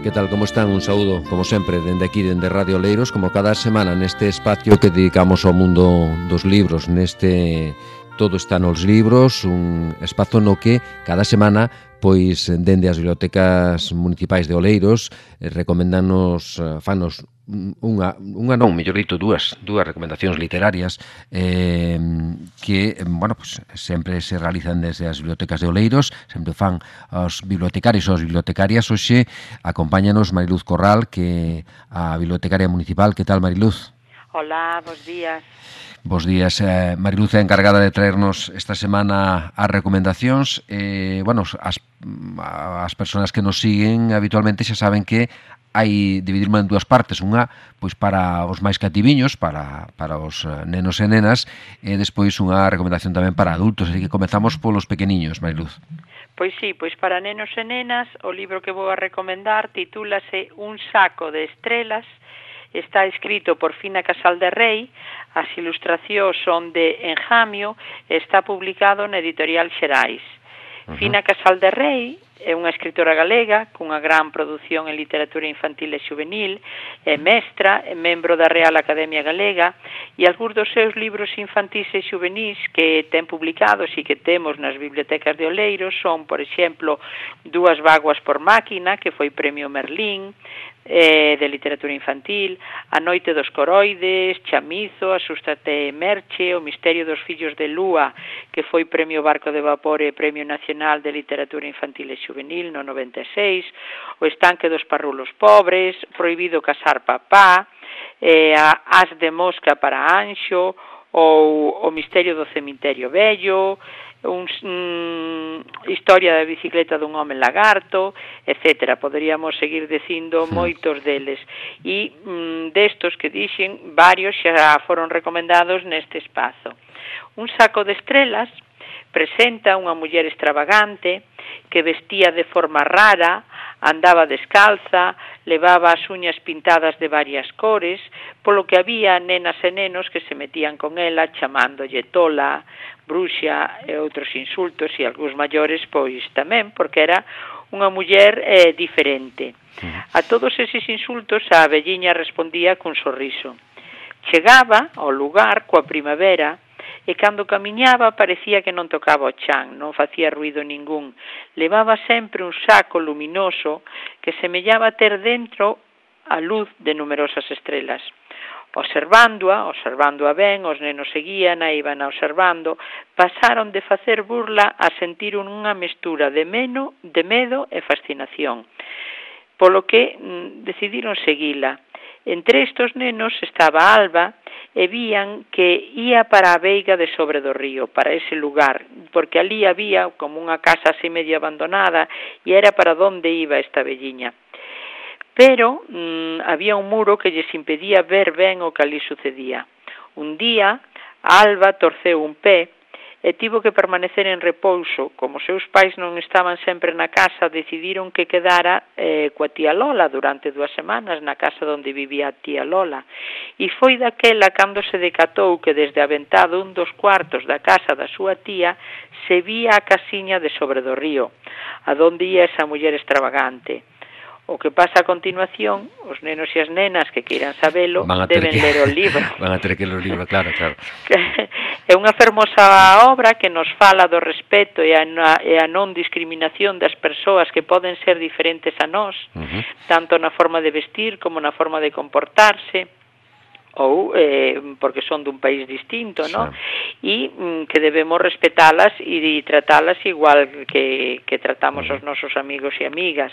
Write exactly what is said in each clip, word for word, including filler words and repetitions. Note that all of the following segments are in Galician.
Que tal, como están? Un saúdo, como sempre, dende aquí, dende Radio Oleiros, como cada semana neste espacio que dedicamos ao mundo dos libros, neste Todo está nos libros, un espazo no que cada semana, pois, dende as bibliotecas municipais de Oleiros, eh, recomendanos, eh, fanos unha, unha non, mellor dito, dúas, dúas recomendacións literarias eh, que, bueno, pues, sempre se realizan desde as bibliotecas de Oleiros, sempre fan os bibliotecarios ou as bibliotecarias. Hoxe acompáñanos Mariluz Corral, que a bibliotecaria municipal. Que tal, Mariluz? Hola, bos días. Bos días. Eh, Mariluz é encargada de traernos esta semana as recomendacións. Eh, bueno, as, as persoas que nos siguen habitualmente xa saben que hai dividirme en dúas partes, unha pois para os máis cativiños, para, para os nenos e nenas, e despois unha recomendación tamén para adultos, así que comezamos polos pequeniños, Mariluz. Pois sí, pois para nenos e nenas, o libro que vou a recomendar titúlase Un saco de estrelas, está escrito por Fina Casal de Rei, as ilustracións son de Enjamio e está publicado na editorial Xerais. Uh-huh. Fina Casal de Rei é unha escritora galega cunha gran produción en literatura infantil e juvenil, é mestra, é membro da Real Academia Galega e algúns dos seus libros infantís e juvenis que ten publicados e que temos nas bibliotecas de Oleiros son, por exemplo, Dúas vaguas por máquina, que foi premio Merlín, eh, de literatura infantil, A noite dos coroides, Chamizo, Asústate Merche, O misterio dos fillos de Lúa, que foi premio Barco de Vapor e premio nacional de literatura infantil e juvenil no noventa e seis, O estanque dos parrulos pobres, Prohibido casar papá, eh, a As de mosca para Anxo, ou O misterio do cemiterio vello, un, um, Historia da bicicleta dun home lagarto, etcétera. Poderíamos seguir dicindo moitos deles. E um, destos que dixen, varios xa foron recomendados neste espazo. Un saco de estrelas presenta unha muller extravagante que vestía de forma rara, andaba descalza, levaba as uñas pintadas de varias cores, polo que había nenas e nenos que se metían con ela chamándolle tola, bruxa e outros insultos, e algúns maiores pois tamén, porque era unha muller eh, diferente. A todos eses insultos a velliña respondía cun sorriso. Chegaba ao lugar coa primavera e cando camiñaba parecía que non tocaba o chan, non facía ruido ningún. Levaba sempre un saco luminoso que semellaba ter dentro a luz de numerosas estrelas. Observándoa, observándoa ben, os nenos seguían, a iban observando, pasaron de facer burla a sentir unha mestura de, meno, de medo e fascinación, polo que mm, decidiron seguila. Entre estos nenos estaba Alba e vían que ía para a veiga de sobre do río, para ese lugar, porque ali había como unha casa así medio abandonada e era para onde iba esta velliña. Pero mmm, había un muro que lles impedía ver ben o que ali sucedía. Un día, Alba torceu un pé e tivo que permanecer en repouso. Como seus pais non estaban sempre na casa, decidiron que quedara eh, coa tía Lola durante dúas semanas na casa onde vivía a tía Lola. E foi daquela cando se decatou que desde a ventá dun dos cuartos da casa da súa tía se vía a casiña de sobre do río, a donde ia esa muller extravagante. O que pasa a continuación, os nenos e as nenas que queiran sabelo deben que, ler o libro. Van a ter que ler o libro, claro, claro. É unha fermosa obra que nos fala do respeto e a, e a non discriminación das persoas que poden ser diferentes a nós, uh-huh. tanto na forma de vestir como na forma de comportarse, ou eh, porque son dun país distinto, ¿no? E mm, que debemos respetalas e tratalas igual que, que tratamos os nosos amigos e amigas.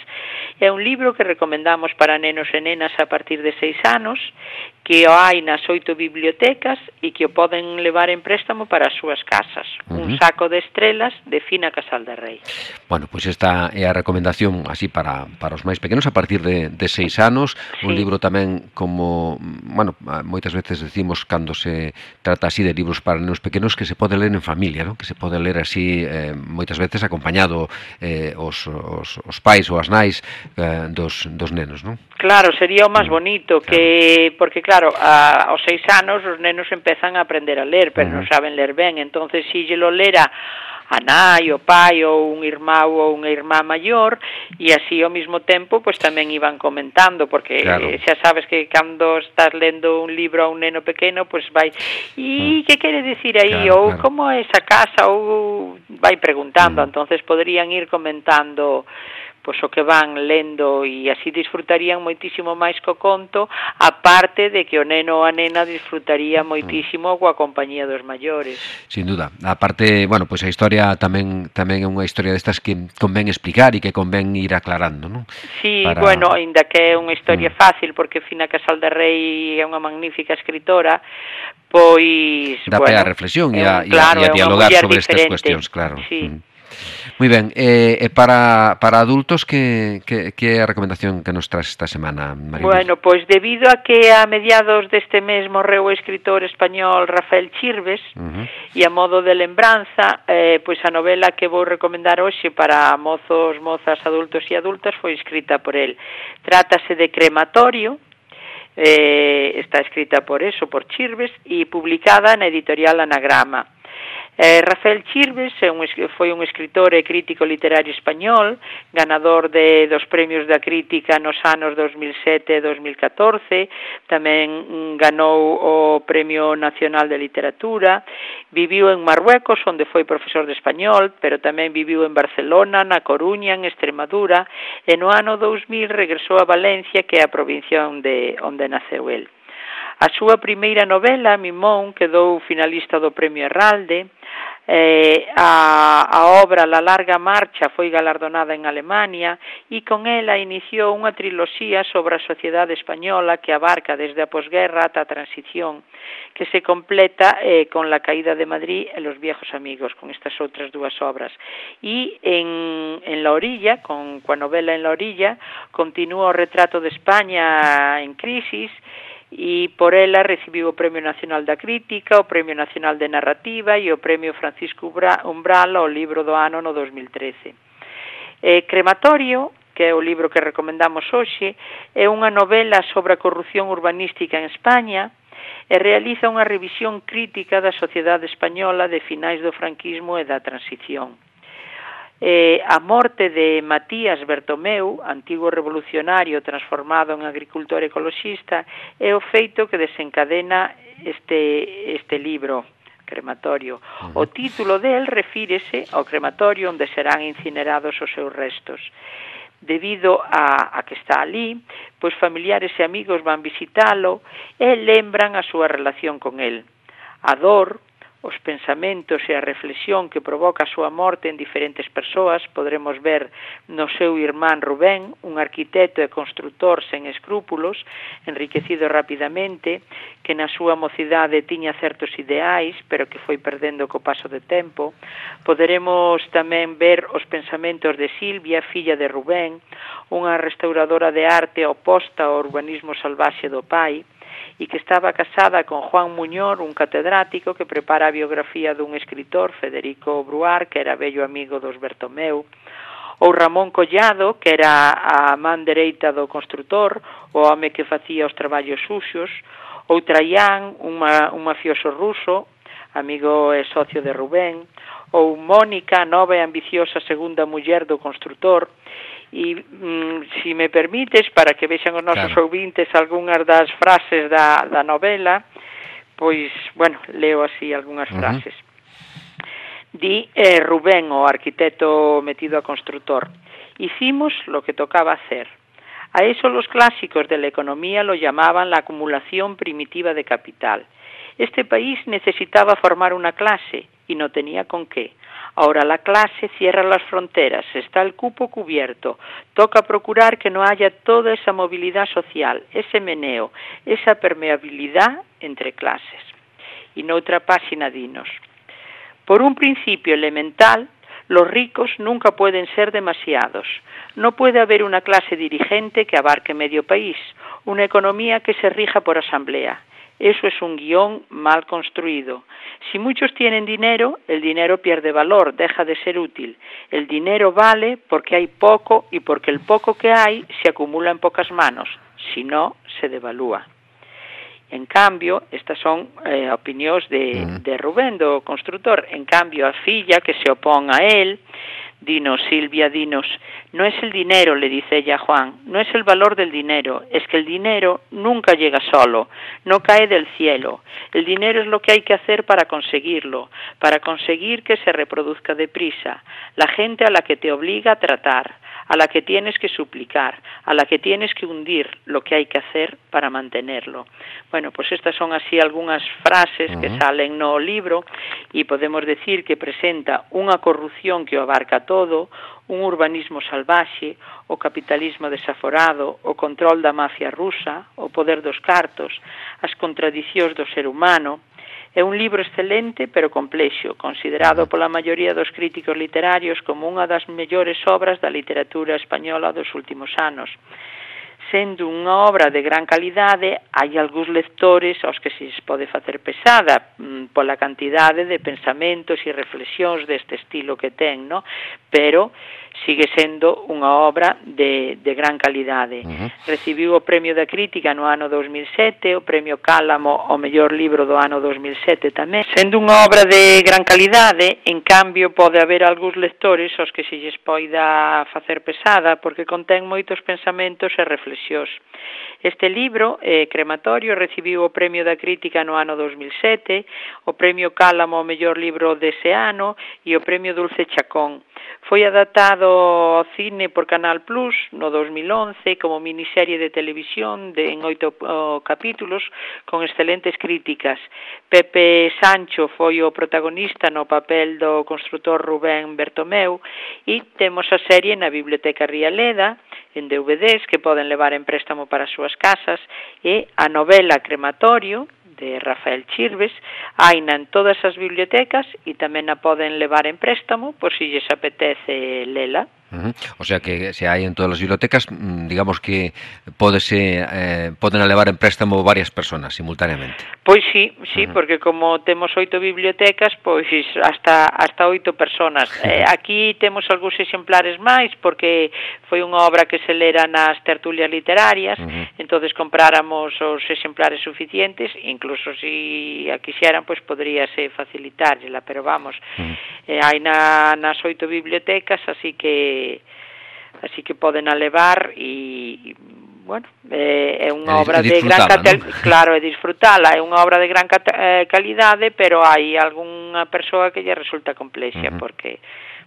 É un libro que recomendamos para nenos e nenas a partir de seis anos, que o hai nas oito bibliotecas e que o poden levar en préstamo para as súas casas. Uh-huh. Un saco de estrelas de Fina Casal de Rei. Bueno, pois pues esta é a recomendación así para, para os máis pequenos a partir de, de seis anos. Sí. Un libro tamén como, bueno, moitas veces decimos cando se trata así de libros para nenos pequenos que se pode ler en familia, ¿no? Que se pode ler así eh, moitas veces acompañado eh, os, os, os pais ou as nais eh, dos, dos nenos, ¿no? Claro, sería o máis bonito, claro. que porque claro, a, aos seis anos os nenos empezan a aprender a ler, pero uh-huh. non saben ler ben, entonces si lle lo lera a nai, o pai ou un irmão ou unha irmá maior, e así ao mesmo tempo pois tamén iban comentando, porque claro, xa sabes que cando estás lendo un libro a un neno pequeno, pois vai, e mm. que quere dicir aí, claro, ou claro, como é esa casa, ou vai preguntando, mm. entonces poderían ir comentando pois o que van lendo, e así disfrutarían moitísimo máis co conto, aparte de que o neno ou a nena disfrutaría moitísimo mm. coa compañía dos maiores. Sin duda. Aparte, bueno, pois a historia tamén tamén é unha historia destas que convén explicar e que convén ir aclarando, non? Sí, para... bueno, ainda que é unha historia mm. fácil, porque Fina Casal de Rei é unha magnífica escritora, pois, dá bueno, para a reflexión e a, claro, e a dialogar sobre estas cuestións, claro. Sí. Mm. Moi ben, e eh, para, para adultos, que, que, que é a recomendación que nos traes esta semana, María? Bueno, pois debido a que a mediados deste mes morreu o escritor español Rafael Chirves, uh-huh. e a modo de lembranza, eh, pois a novela que vou recomendar hoxe para mozos, mozas, adultos e adultas foi escrita por el. Trátase de Crematorio, eh, está escrita por eso, por Chirves, e publicada na editorial Anagrama. Eh, Rafael Chirves é un, foi un escritor e crítico literario español, ganador de, dos premios da crítica nos anos dos mil sete e dos mil catorce, tamén mm, ganou o Premio Nacional de Literatura, viviu en Marruecos, onde foi profesor de español, pero tamén viviu en Barcelona, na Coruña, en Extremadura, e no ano dous mil regresou a Valencia, que é a provincia onde, onde naceu el. A súa primeira novela, Mimón, quedou finalista do Premio Herralde. Eh, a, a obra La larga marcha foi galardonada en Alemania, e con ela iniciou unha triloxía sobre a sociedade española que abarca desde a posguerra ata a transición, que se completa eh, con La caída de Madrid e Los viejos amigos, con estas outras dúas obras. E en, en La orilla, con coa novela En la orilla, continúa o retrato de España en crisis, e por ela recibiu o Premio Nacional da Crítica, o Premio Nacional de Narrativa e o Premio Francisco Umbral ao libro do ano no dos mil trece. Eh, Crematorio, que é o libro que recomendamos hoxe, é unha novela sobre a corrupción urbanística en España e realiza unha revisión crítica da sociedade española de finais do franquismo e da transición. Eh, a morte de Matías Bertomeu, antigo revolucionario transformado en agricultor ecoloxista, é o feito que desencadena este, este libro, Crematorio. O título del refírese ao crematorio onde serán incinerados os seus restos. Debido a, a que está ali, pois familiares e amigos van visitalo e lembran a súa relación con el. A dor, os pensamentos e a reflexión que provoca a súa morte en diferentes persoas podremos ver no seu irmán Rubén, un arquitecto e constructor sen escrúpulos, enriquecido rapidamente, que na súa mocidade tiña certos ideais, pero que foi perdendo co paso de tempo. Poderemos tamén ver os pensamentos de Silvia, filla de Rubén, unha restauradora de arte oposta ao urbanismo salvaxe do pai, e que estaba casada con Juan Muñor, un catedrático que prepara a biografía dun escritor, Federico Bruar, que era vello amigo dos Bertomeu, ou Ramón Collado, que era a man dereita do construtor, o home que facía os traballos suxos, ou Traián, un, un mafioso ruso, amigo e socio de Rubén, ou Mónica, nova e ambiciosa segunda muller do construtor. E, mm, si me permites, para que vexan os nosos claro. ouvintes algunhas das frases da, da novela, pois, bueno, leo así algunhas uh-huh. frases. Di eh, Rubén, o arquitecto metido a constructor: hicimos lo que tocaba hacer. A eso los clásicos de la economía lo llamaban la acumulación primitiva de capital. Este país necesitaba formar una clase y no tenía con qué. Ahora la clase cierra las fronteras, está el cupo cubierto. Toca procurar que no haya toda esa movilidad social, ese meneo, esa permeabilidad entre clases. Y noutra páxina dinos: por un principio elemental, los ricos nunca pueden ser demasiados. No puede haber una clase dirigente que abarque medio país, una economía que se rija por asamblea. Eso es un guión mal construido. Si muchos tienen dinero, el dinero pierde valor, deja de ser útil. El dinero vale porque hay poco y porque el poco que hay se acumula en pocas manos, si no, se devalúa. En cambio, estas son eh, opinións de, uh-huh. de Rubén, do constructor. En cambio, a filla que se opón a él, dinos, Silvia, dinos, no es el dinero, le dice ella a Juan, no es el valor del dinero, es que el dinero nunca llega solo, no cae del cielo. El dinero es lo que hay que hacer para conseguirlo, para conseguir que se reproduzca deprisa. La gente a la que te obliga a tratar, a la que tienes que suplicar, a la que tienes que hundir, lo que hay que hacer para mantenerlo. Bueno, pues estas son así algunhas frases uh-huh. que salen no libro e podemos decir que presenta unha corrupción que o abarca todo, un urbanismo salvaxe, o capitalismo desaforado, o control da mafia rusa, o poder dos cartos, as contradicións do ser humano. É un libro excelente, pero complexo, considerado pola maioría dos críticos literarios como unha das mellores obras da literatura española dos últimos anos. Sendo unha obra de gran calidade, hai algúns lectores aos que se pode facer pesada pola cantidade de pensamentos e reflexións deste estilo que ten, no? Pero sigue sendo unha obra de, de gran calidade. Uh-huh. Recibiu o Premio da Crítica no ano dos mil sete, o Premio Cálamo o mellor libro do ano dos mil sete tamén. Sendo unha obra de gran calidade, en cambio pode haber algúns lectores aos que se lles poida facer pesada porque contén moitos pensamentos e reflexións. Este libro, eh, Crematorio, recibiu o Premio da Crítica no ano dos mil sete, o Premio Cálamo o mellor libro dese ano e o Premio Dulce Chacón. Foi adaptado ao cine por Canal Plus no dos mil once como miniserie de televisión de, en oito oh, capítulos con excelentes críticas. Pepe Sancho foi o protagonista no papel do constructor Rubén Bertomeu e temos a serie na Biblioteca Rialeda en D V Ds que poden levar en préstamo para as súas casas e a novela Crematorio de Rafael Chirves, haina en todas as bibliotecas e tamén a poden levar en préstamo por si lles apetece lela. Uh-huh. O sea que se hai en todas as bibliotecas, digamos que pódese, eh, poden levar en préstamo varias personas simultaneamente. Pois sí, sí, uh-huh. porque como temos oito bibliotecas, pois hasta hasta oito personas. Uh-huh. Eh, aquí temos algúns exemplares máis porque foi unha obra que se lera nas tertulias literarias, uh-huh. entonces compráramos os exemplares suficientes, incluso si a quixeran, pois poderíase facilitárlela, pero vamos, uh-huh. eh, hai na, nas oito bibliotecas, así que así que poden a levar e, bueno, é, é unha obra de gran catel, ¿no? Claro, é disfrutala, é unha obra de gran cat, eh, calidade, pero hai algunha persoa que lle resulta complexa, uh-huh. porque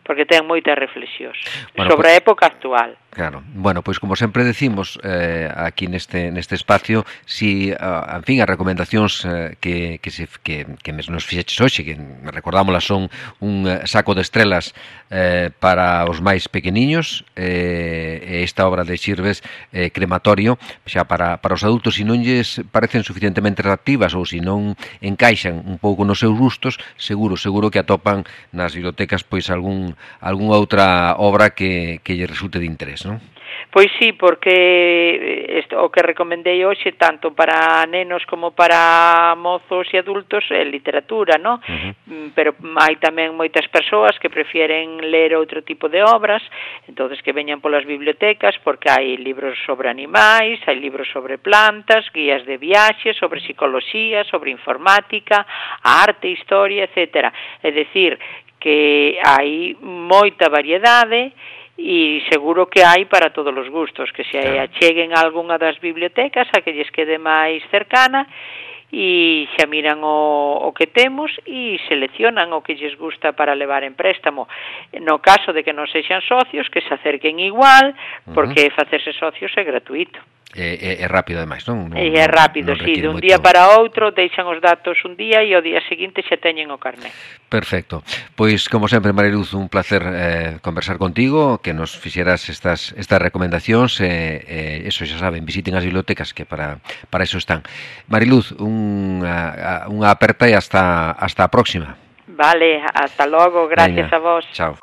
porque ten moitas reflexións bueno, sobre a época actual. Claro. Bueno, pois como sempre decimos eh, aquí neste neste espacio, si, uh, en fin, as recomendacións eh, que, que, se, que, que nos fixeches hoxe, que recordámoslas, son un saco de estrelas eh, para os máis pequeniños, eh, esta obra de Chirves, eh, Crematorio, xa para, para os adultos, se non lles parecen suficientemente atractivas ou se non encaixan un pouco nos seus gustos, seguro, seguro que atopan nas bibliotecas pois algún algunha outra obra que, que lle resulte de interés, non? Pois sí, porque isto, o que recomendei hoxe tanto para nenos como para mozos e adultos é literatura, non? Uh-huh. Pero hai tamén moitas persoas que prefieren ler outro tipo de obras, entonces que veñan polas bibliotecas porque hai libros sobre animais, hai libros sobre plantas, guías de viaxe, sobre psicología, sobre informática, arte, historia, etcétera. É dicir, que hai moita variedade e seguro que hai para todos os gustos, que se acheguen a algunha das bibliotecas a que lles quede máis cercana e xa miran o, o que temos e seleccionan o que lles gusta para levar en préstamo. No caso de que non sexan socios, que se acerquen igual, porque uh-huh. facerse socios é gratuito. É, é, é rápido, ademais, non? non é rápido, non, non sí, de un moito... día para outro deixan os datos un día e o día seguinte xa teñen o carné. Perfecto. Pois, como sempre, Mariluz, un placer eh, conversar contigo, que nos fixeras estas, estas recomendacións, eh, eh, eso xa saben, visiten as bibliotecas que para, para eso están. Mariluz, unha, unha aperta e hasta, hasta a próxima. Vale, hasta logo, gracias Venga, a vos. Chao.